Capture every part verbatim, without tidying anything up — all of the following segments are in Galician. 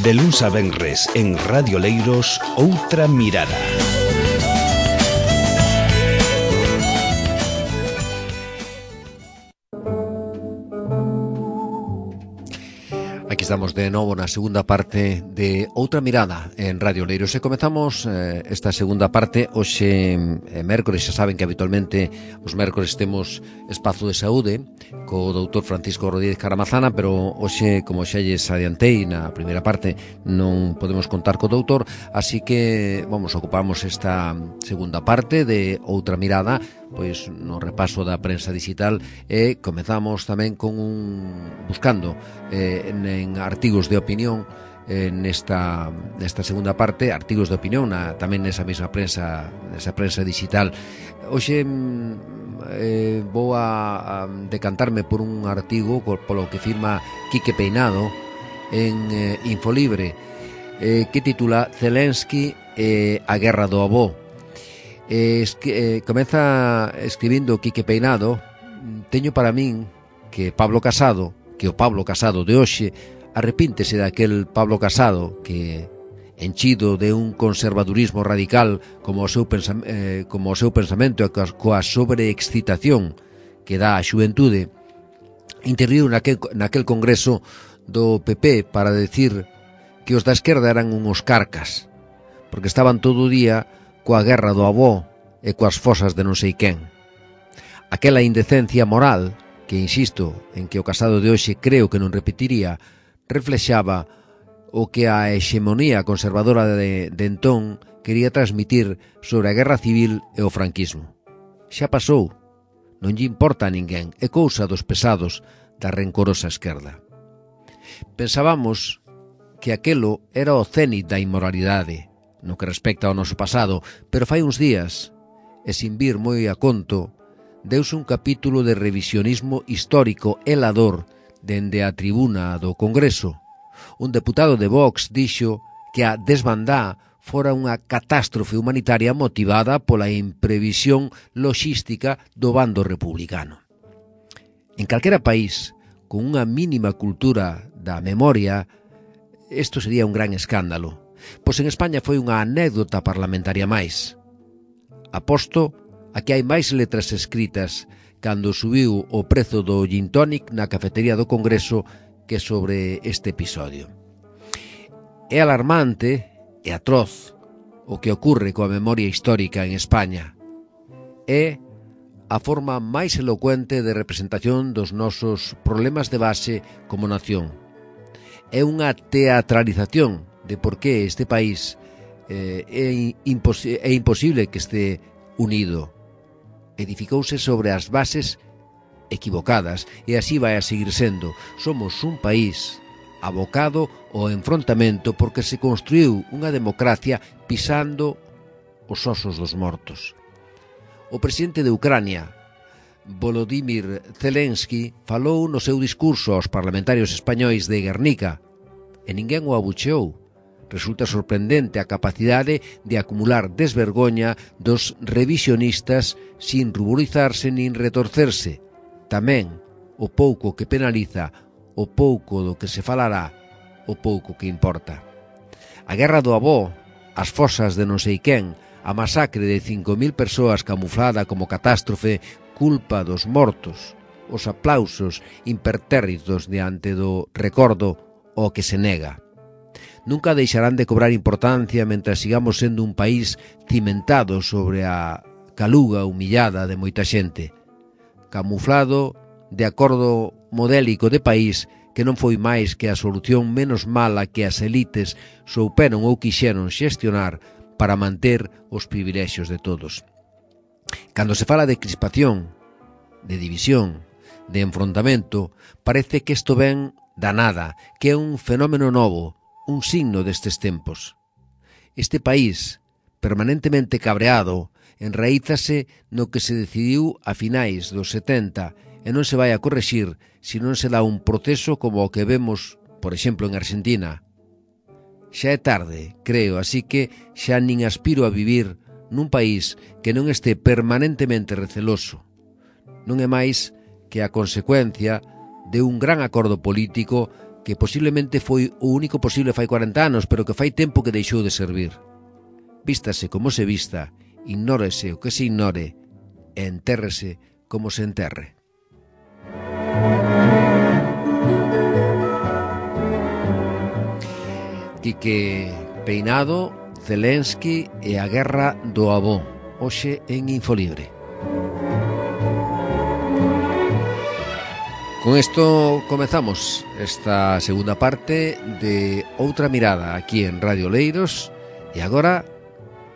De luns a venres en Radio Leiros, Outra Mirada. Aquí estamos de novo na segunda parte de Outra Mirada en Radio Leiros e comezamos eh, esta segunda parte hoxe eh, mércores. Xa saben que habitualmente os mércores temos espazo de saúde co doutor Francisco Rodríguez Caramazana, pero hoxe, como xa lles adiantei na primeira parte, non podemos contar co doutor, así que vamos, ocupamos esta segunda parte de Outra Mirada pois no repaso da prensa digital e comezamos tamén con un buscando eh, en, en artigos de opinión eh, nesta, nesta segunda parte, artigos de opinión na, tamén nesa mesma prensa, nesa prensa digital. Hoxe eh, vou a, a decantarme por un artigo polo que firma Quique Peinado en eh, Infolibre, eh, que titula Zelensky e eh, a guerra do avó. Eh, es que, eh, comeza escribindo Quique Peinado: teño para min que Pablo Casado, que o Pablo Casado de hoxe arrepíntese daquel Pablo Casado que, enchido de un conservadurismo radical como o seu, pensam, eh, como o seu pensamento e coa sobreexcitación que dá a xuventude, interviu naquel, naquel congreso do P P para decir que os da esquerda eran unhos carcas porque estaban todo o día coa guerra do avó e coas fosas de non sei quen. Aquela indecencia moral, que insisto en que o Casado de hoxe creo que non repetiría, reflexaba o que a hexemonía conservadora de, de entón quería transmitir sobre a guerra civil e o franquismo. Xa pasou, non lle importa a ninguén, é cousa dos pesados da rencorosa esquerda. Pensábamos que aquelo era o cénit da inmoralidade, no que respecta ao noso pasado, pero fai uns días, e sin vir moi a conto, deuse un capítulo de revisionismo histórico helador dende a tribuna do Congreso. Un deputado de Vox dixo que a desbandá fora unha catástrofe humanitaria motivada pola imprevisión loxística do bando republicano. En calquera país, con unha mínima cultura da memoria, isto sería un gran escándalo. Pois en España foi unha anécdota parlamentaria máis. Aposto a que hai máis letras escritas cando subiu o prezo do gin tonic na cafetería do Congreso que sobre este episodio. É alarmante e atroz o que ocorre coa memoria histórica en España. É a forma máis elocuente de representación dos nosos problemas de base como nación. É unha teatralización de por que este país eh, é, impos é imposible que este unido. Edificouse sobre as bases equivocadas e así vai a seguir sendo. Somos un país abocado ao enfrontamento porque se construiu unha democracia pisando os osos dos mortos. O presidente de Ucrania, Volodymyr Zelensky, falou no seu discurso aos parlamentarios españois de Guernica e ninguén o abucheou. Resulta sorprendente a capacidade de acumular desvergoña dos revisionistas sin ruborizarse nin retorcerse. Tamén o pouco que penaliza, o pouco do que se falará, o pouco que importa. A guerra do avó, as fosas de non sei quen, a masacre de cinco mil persoas camuflada como catástrofe, culpa dos mortos, os aplausos impertérritos diante do recordo ao que se nega. Nunca deixarán de cobrar importancia mentras sigamos sendo un país cimentado sobre a caluga humillada de moita xente, camuflado de acordo modélico de país que non foi máis que a solución menos mala que as elites souperon ou quixeron xestionar para manter os privilexios de todos. Cando se fala de crispación, de división, de enfrontamento, parece que isto ven da nada, que é un fenómeno novo, un signo destes tempos. Este país, permanentemente cabreado, enraízase no que se decidiu a finais dos setenta e non se vai a correxir se non se dá un proceso como o que vemos, por exemplo, en Argentina. Xa é tarde, creo, así que xa nin aspiro a vivir nun país que non este permanentemente receloso. Non é máis que a consecuencia de un gran acordo político que posiblemente foi o único posible fai cuarenta anos, pero que fai tempo que deixou de servir. Vístase como se vista, ignórese o que se ignore, e entérrese como se enterre. Quique Peinado, Zelensky e a guerra do avó, hoxe en Infolibre. Con isto comezamos esta segunda parte de Outra Mirada aquí en Radio Leiros e agora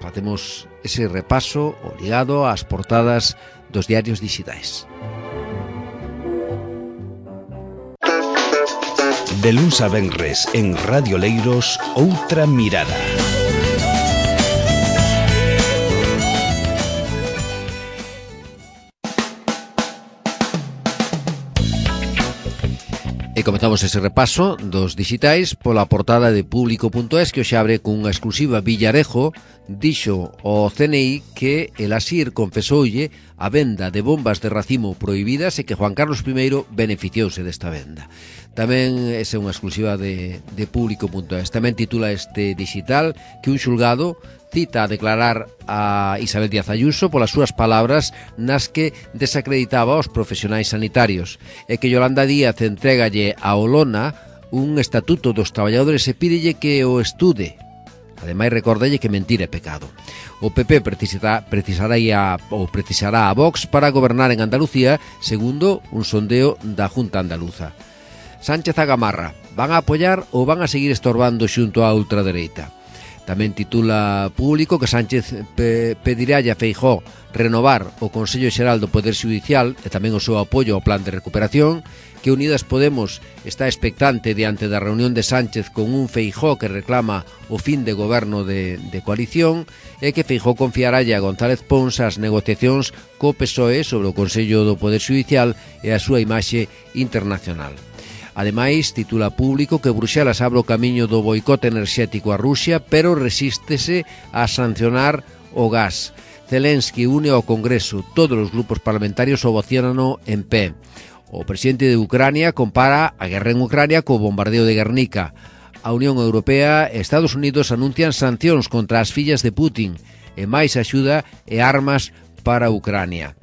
facemos ese repaso ligado ás portadas dos diarios digitais. De luns a venres en Radio Leiros, Outra Mirada. E comezamos ese repaso dos digitais pola portada de público punto es que hoxe abre cunha exclusiva. Villarejo dixo ao C N I que el Asir confesoulle a venda de bombas de racimo prohibidas e que Juan Carlos I beneficiouse desta venda. Tamén esa é unha exclusiva de, de público punto es. Tamén titula este digital que un xulgado cita a declarar a Isabel Díaz Ayuso polas súas palabras nas que desacreditaba aos profesionais sanitarios e que Yolanda Díaz entrégalle a Olona un estatuto dos traballadores e pídelle que o estude. Ademais, recordalle que mentir é pecado. O P P precisará, precisará, a, ou precisará a Vox para gobernar en Andalucía, segundo un sondeo da Junta Andaluza. Sánchez agamarra, van a apoiar ou van a seguir estorbando xunto á ultradereita? Tamén titula Público que Sánchez pe pedirá a Feijóo renovar o Consello Xeral do Poder Xudicial e tamén o seu apoio ao plan de recuperación, que Unidas Podemos está expectante diante da reunión de Sánchez con un Feijóo que reclama o fin de goberno de, de coalición e que Feijóo confiará a González Pons as negociacións co P S O E sobre o Consello do Poder Xudicial e a súa imaxe internacional. Ademais, titula Público que Bruxelas abre o camiño do boicote enerxético a Rusia, pero resístese a sancionar o gas. Zelensky une ao Congreso, todos os grupos parlamentarios ovaciónano en pé. O presidente de Ucrania compara a guerra en Ucrania co bombardeo de Guernica. A Unión Europea e Estados Unidos anuncian sancións contra as fillas de Putin e máis axuda e armas para Ucrania.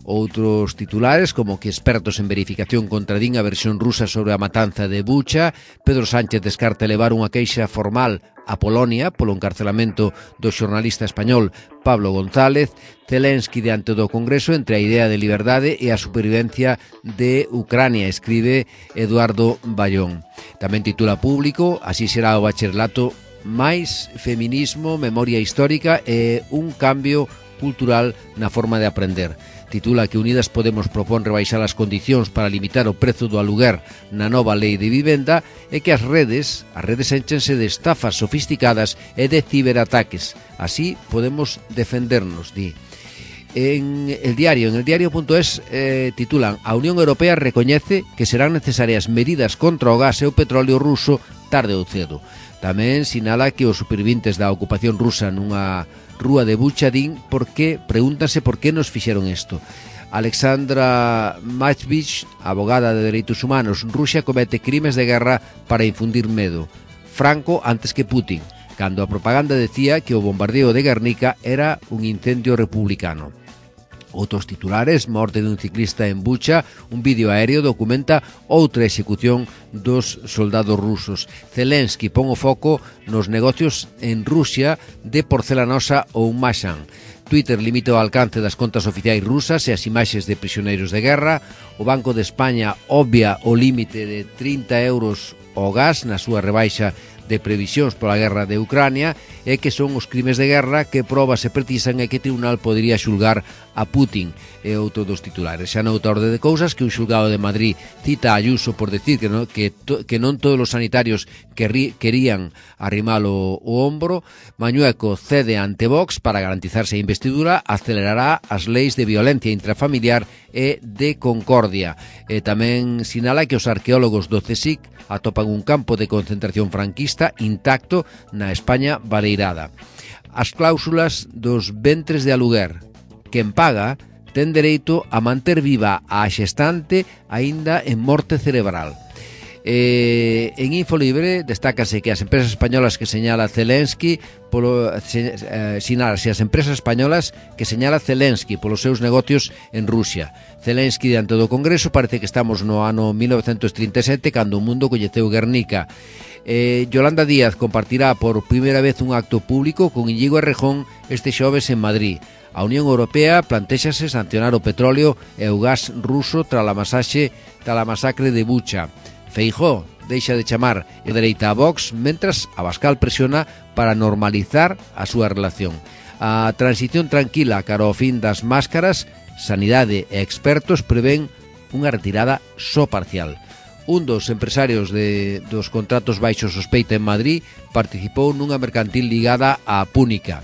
Outros titulares, como que expertos en verificación contradín a versión rusa sobre a matanza de Bucha, Pedro Sánchez descarta elevar unha queixa formal a Polonia polo encarcelamento do xornalista español Pablo González, Zelensky diante do Congreso entre a idea de liberdade e a supervivencia de Ucrania, escribe Eduardo Bayón. Tamén titula Público, así será o bacharelato, máis feminismo, memoria histórica e un cambio cultural na forma de aprender. Titula que Unidas Podemos propón rebaixar as condicións para limitar o prezo do aluguer na nova lei de vivenda e que as redes, as redes énchense de estafas sofisticadas e de ciberataques. Así podemos defendernos, di. En el diario, en el diario punto es eh, titulan a Unión Europea recoñece que serán necesarias medidas contra o gas e o petróleo ruso tarde ou cedo. Tamén sinala que os supervivintes da ocupación rusa nunha rúa de Bucha din por que, pregúntanse por que nos fixeron isto. Alexandra Machvich, abogada de Dereitos Humanos, Rusia comete crimes de guerra para infundir medo. Franco antes que Putin, cando a propaganda decía que o bombardeo de Guernica era un incendio republicano. Outros titulares, morte dun ciclista en Bucha, un vídeo aéreo documenta outra execución dos soldados rusos. Zelensky pon o foco nos negocios en Rusia de porcelanosa ou Mashan. Twitter limita o alcance das contas oficiais rusas e as imaxes de prisioneiros de guerra. O Banco de España obvia o límite de trinta euros ao gas na súa rebaixa de previsións pola guerra de Ucrania e que son os crimes de guerra que probas se precisan e que o tribunal podería xulgar a Putin, e outro dos titulares. Xa noutra orde de cousas que un xulgado de Madrid cita a Ayuso por decir que non, que, to, que non todos os sanitarios querri, querían arrimalo o ombro. Mañueco cede ante Vox para garantizarse a investidura, acelerará as leis de violencia intrafamiliar e de concordia. E tamén sinala que os arqueólogos do CSIC atopan un campo de concentración franquista intacto na España baleirada. As cláusulas dos ventres de aluguer. Quen paga ten dereito a manter viva a xestante aínda en morte cerebral. Eh, en Infolibre destácase que as empresas españolas que señala Zelensky polo, se, eh, sinalase as empresas españolas que señala Zelensky polos seus negocios en Rusia. Zelensky diante do Congreso parece que estamos no ano mil novecentos trinta e sete cando o mundo coñeceu Guernica. Eh, Yolanda Díaz compartirá por primeira vez un acto público con Íñigo Errejón este xoves en Madrid. A Unión Europea plantéxase sancionar o petróleo e o gas ruso tras a masaxe tras a masacre de Bucha. Feijóo deixa de chamar a dereita a Vox, mentras Abascal presiona para normalizar a súa relación. A transición tranquila cara ao fin das máscaras, Sanidade e expertos prevén unha retirada só parcial. Un dos empresarios de, dos contratos baixo sospeita en Madrid participou nunha mercantil ligada á Púnica.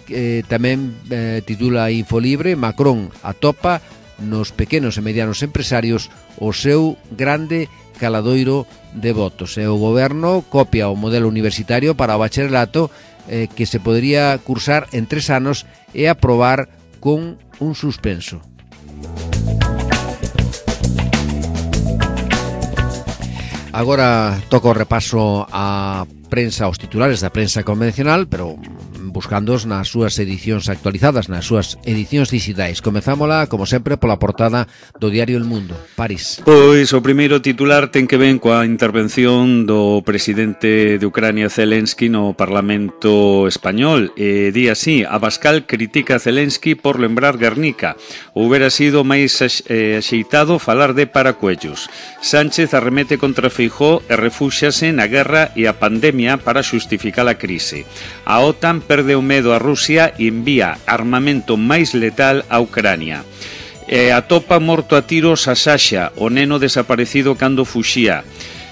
Eh, tamén eh, titula Infolibre, Macron atopa nos pequenos e medianos empresarios o seu grande caladoiro de votos. E o goberno copia o modelo universitario para o bacharelato eh, que se podría cursar en tres anos e aprobar con un suspenso. Agora toca o repaso a prensa, aos titulares da prensa convencional, pero buscándoos nas súas edicións actualizadas, nas súas edicións digitais. Comezámola, como sempre, pola portada do diario El Mundo. París. Pois o primeiro titular ten que ver coa intervención do presidente de Ucrania Zelensky no Parlamento español. E di así: Abascal critica a Zelensky por lembrar Guernica. Houbera sido máis eh, axeitado falar de paracuellos. Sánchez arremete contra Feijóo e refúxiase na guerra e a pandemia para xustificar a crise. A OTAN perde o medo a Rusia e envía armamento máis letal a Ucrania. E atopa morto a tiros a Sasha, o neno desaparecido cando fuxía.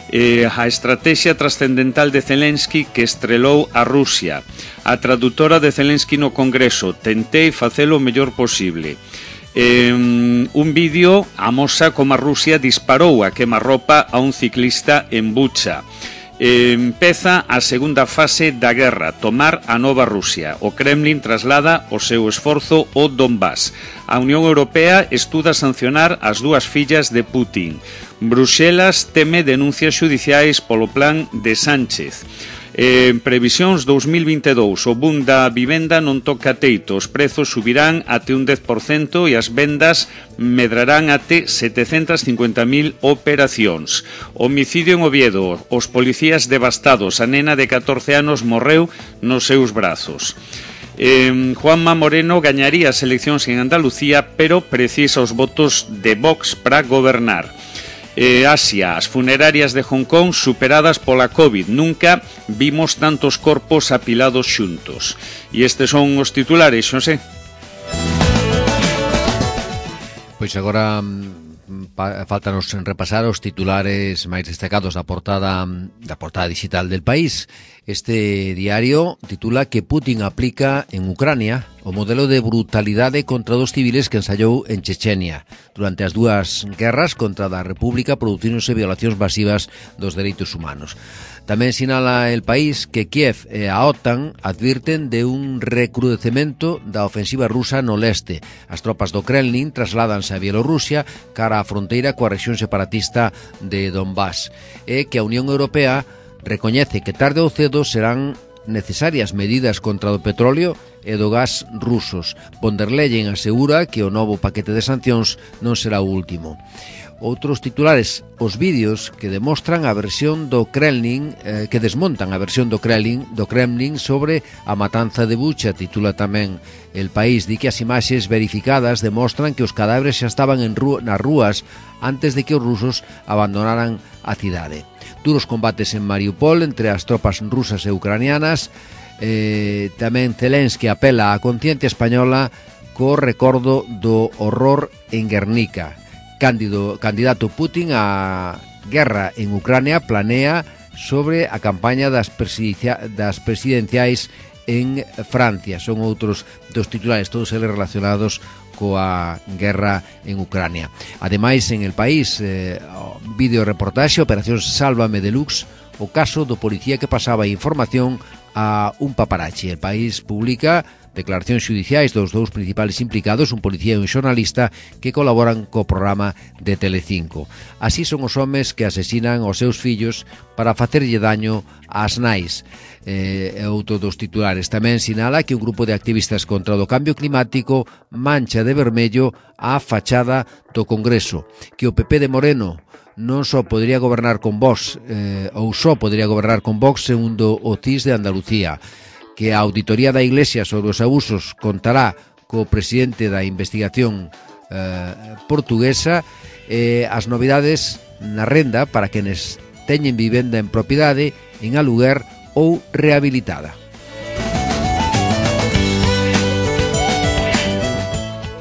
E a estrategia trascendental de Zelensky que estrelou a Rusia. A tradutora de Zelensky no Congreso: tentei facelo o mellor posible. Eh, un vídeo amosa como a Rusia disparou a quemarropa a un ciclista en Bucha. Eh, empeza a segunda fase da guerra, tomar a nova Rusia. O Kremlin traslada o seu esforzo ao Donbass. A Unión Europea estuda sancionar as dúas fillas de Putin. Bruxelas teme denuncias xudiciais polo plan de Sánchez. En previsións dos mil vinte e dous, o boom da vivenda non toca teito, os prezos subirán até un dez por cento e as vendas medrarán até setecentas cincuenta mil operacións. Homicidio en Oviedo, os policías devastados, a nena de catorce anos morreu nos seus brazos. Eh, Juanma Moreno gañaría as eleccións en Andalucía, pero precisa os votos de Vox para gobernar. Eh, Asia, as funerarias de Hong Kong superadas pola COVID. Nunca vimos tantos corpos apilados xuntos. E estes son os titulares, Xosé. Pois agora faltanos repasar os titulares máis destacados da portada da portada digital del País. Este diario titula que Putin aplica en Ucrania o modelo de brutalidade contra dos civiles que ensayou en Chechenia. Durante as dúas guerras contra a República producíronse violacións masivas dos dereitos humanos. Tamén sinala El País que Kiev e a OTAN advirten de un recrudecemento da ofensiva rusa no leste. As tropas do Kremlin trasládanse a Bielorrusia cara á fronteira coa rexión separatista de Donbass. E que a Unión Europea recoñece que tarde ou cedo serán necesarias medidas contra o petróleo e do gas rusos. Von der Leyen asegura que o novo paquete de sancións non será o último. Outros titulares, os vídeos que demostran a versión do Kremlin, eh, que desmontan a versión do Kremlin, do Kremlin sobre a matanza de Bucha, titula tamén El País. Di que as imaxes verificadas demostran que os cadáveres xa estaban en rú nas rúas antes de que os rusos abandonaran a cidade. Duros combates en Mariupol entre as tropas rusas e ucranianas. Eh, tamén Zelensky apela á conciencia española co recordo do horror en Guernica. Cándido, candidato Putin á guerra en Ucrania planea sobre a campaña das, presidencia, das presidenciais en Francia. Son outros dos titulares, todos eles relacionados coa guerra en Ucrania. Ademais, en El País, eh, vídeo reportaxe, Operación Sálvame Deluxe, o caso do policía que pasaba información a un paparachi. El País publica declaracións xudiciais dos dous principales implicados, un policía e un xornalista, que colaboran co programa de Telecinco. Así son os homes que asesinan os seus fillos para facerlle daño ás nais. É eh, outro dos titulares. Tamén sinala que un grupo de activistas contra o cambio climático mancha de vermello a fachada do Congreso, que o P P de Moreno non só podría gobernar con Vox, eh, ou só podría gobernar con Vox, segundo o C I S de Andalucía, que a auditoría da Iglesia sobre os abusos contará co presidente da investigación eh, portuguesa, e eh, as novidades na renda para quenes teñen vivenda en propiedade, en aluguer ou rehabilitada.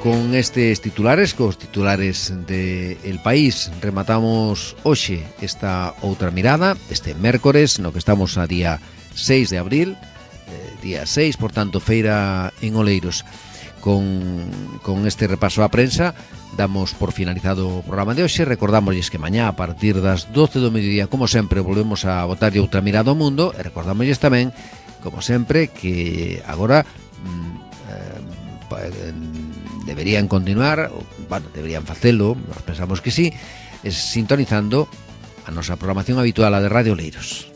Con estes titulares, cos titulares de El País, rematamos hoxe esta outra mirada, este mércores, no que estamos a día seis de abril, día seis, por tanto, feira en Oleiros. Con, con este repaso á prensa damos por finalizado o programa de hoxe. Recordámosles que mañá a partir das doce do mediodía, como sempre, volvemos a botarlle outra mirada ao mundo, e recordámosles tamén, como sempre, que agora mm, eh, deberían continuar, ou, bueno, deberían facelo, nós pensamos que sí, es sintonizando a nosa programación habitual, a de Radio Oleiros.